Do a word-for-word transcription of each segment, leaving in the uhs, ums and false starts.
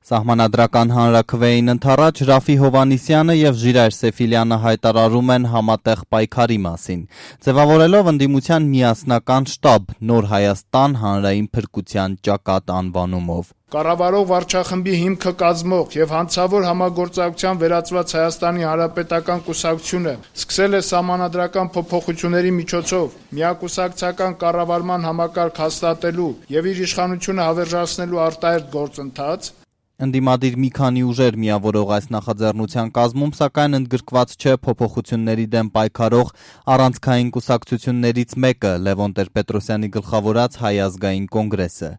Սահմանադրական հանրաքվեին ընդառաջ Ռաֆի Հովհաննիսյանը եւ Ժիրայր Սեֆիլյանը հայտարարում են համատեղ պայքարի մասին, ձևավորելով ընդդիմության միասնական շտաբ Նոր Հայաստան հանրային փրկության ճակատ անվանումով։ Կառավարող վարչախմբի հիմքը կազմող եւ հանցավոր համագործակցության վերածված Հայաստանի Հանրապետական կուսակցությունը սկսել է սահմանադրական փոփոխությունների միջոցով միակուսակցական կառավարման համակարգ հաստատելու եւ իր իշխանությունը հավերժացնելու արտահերթ գործընթաց։ Ընդդիմադիր մի քանի ուժեր միավորող այս նախաձեռնության կազմում, սակայն ընդգրկված չէ փոփոխությունների դեմ պայքարող առանցքային կուսակցություններից մեկը՝ Լևոն Տեր-Պետրոսյանի գլխավորած Հայ ազգային կոնգրեսը։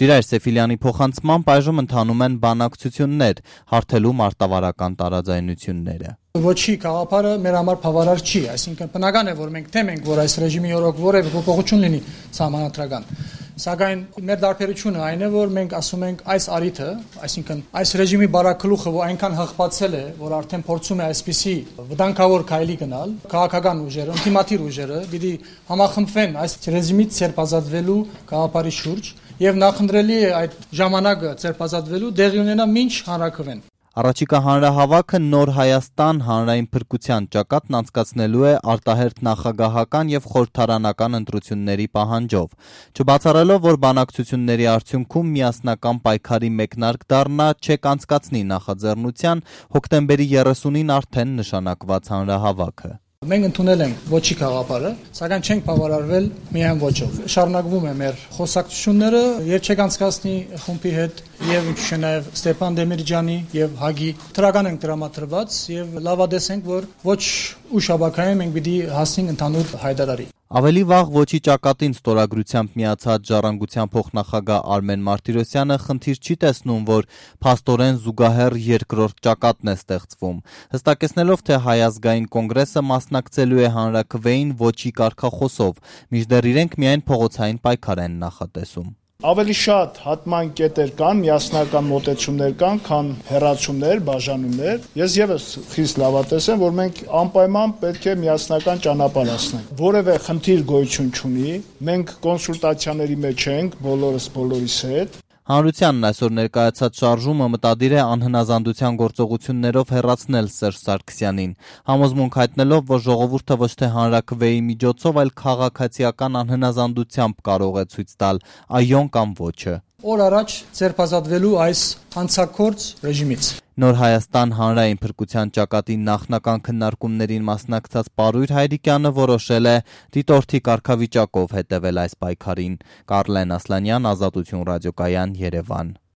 Ժիրայր Սեֆիլյանի փոխանցմամբ այժմ ընթանում են բանակցություններ, հարթելու մարտավարական տարաձայնությունները։ Ոչի գաղափարը մեր համար բավարար չի, այսինքն բնական է, որ մենք թեմ ենք, որ այս ռեժիմի օրոք որևէ փոփոխություն լինի սահմանադրական։ Սակայն մեր դարբերությունը այն է, որ մենք ասում ենք այս արիթը, այսինքն այս ռեժիմի բարակլուխը, որ այնքան հղկացել է, որ արդեն փորձում է այսպիսի վտանգավոր քայլի գնալ, քաղաքական ուժերը, ինտիմատիր ուժերը, պիտի համախմբվեն այս ռեժիմից ցերպազատվելու գաղափարի շուրջ եւ նախընտրելի է այդ ժամանակը ցերպազատվելու դեղի ունենա մինչ հանրաքվեն։ Առաջիկա հանրահավաքը Նոր Հայաստան հանրային փրկության ճակատն անցկացնելու է արտահերթ նախագահական եւ խորհրդարանական ընտրությունների պահանջով, չբացառելով, որ բանակցությունների արդյունքում միասնական պայքարի մեկնարկ դառնա չեք անցկացնի նախաձեռնության հոկտեմբերի երեսունին արդեն նշանակված հանրահավաքը։ Մենք ընդունել ենք ոչի գաղափարը, սակայն չենք բավարարվել միայն ոչով։ Շարունակվում է մեր խոսակցությունները երբեք անցկացնի խումբի հետ եւ ինչու՞ նաեւ Ստեփան Դեմիրճյանի եւ Հագի թրական ենք դրամատրված եւ լավադես ենք, որ ոչ ուշ ապակայում մենք պիտի հասնենք ընդհանուր հայտարարի։ Ավելի վաղ ոչի ճակատին ստորագրությամբ միացած Ժառանգության փոխնախագահ Արմեն Մարտիրոսյանը խնդիր չի տեսնում, որ փաստորեն զուգահեռ երկրորդ ճակատն է ստեղծվում, հստակեցնելով, թե Հայ ազգային կոնգրեսը մասնակցելու է հանրաքվեին ոչի կարգախոսով, մինչդեռ իրենք միայն փողոցային պայքար են նախատեսում։ Ավելի շատ հատման կետեր կան, միասնական մոտեցումներ կան, քան հեռացումներ, բաժանումներ։ Ես եւս խիստ լավատես եմ, որ մենք անպայման պետք է միասնական ճանապարհ անցնենք։ Որևէ խնդիր գոյություն չունի, մենք կոնսուլտացիաների մեջ ենք բոլորս բոլորիս հետ։ Հանրությանն այսօր ներկայացած շարժումը մտադիր է անհնազանդության գործողություններով հեռացնել Սերժ Սարգսյանին, համոզմունք հայտնելով, որ ժողովուրդը ոչ թե հանրաքվեի միջոցով, այլ քաղաքացիական անհնազանդությամբ կարող է ցույց տալ այոն կամ ոչը։ Օր առաջ ցերպազատվելու այս հանցակորձ ռեժիմից։ Նոր Հայաստան հանրային փրկության ճակատի նախնական քննարկումներին մասնակցած Պարույր Հայրիկյանը որոշել է դիտորդի կարգավիճակով հետևել այս պայքարին։ Կարլեն Ասլանյան, Ազատություն ռադիոկայան, Երևան։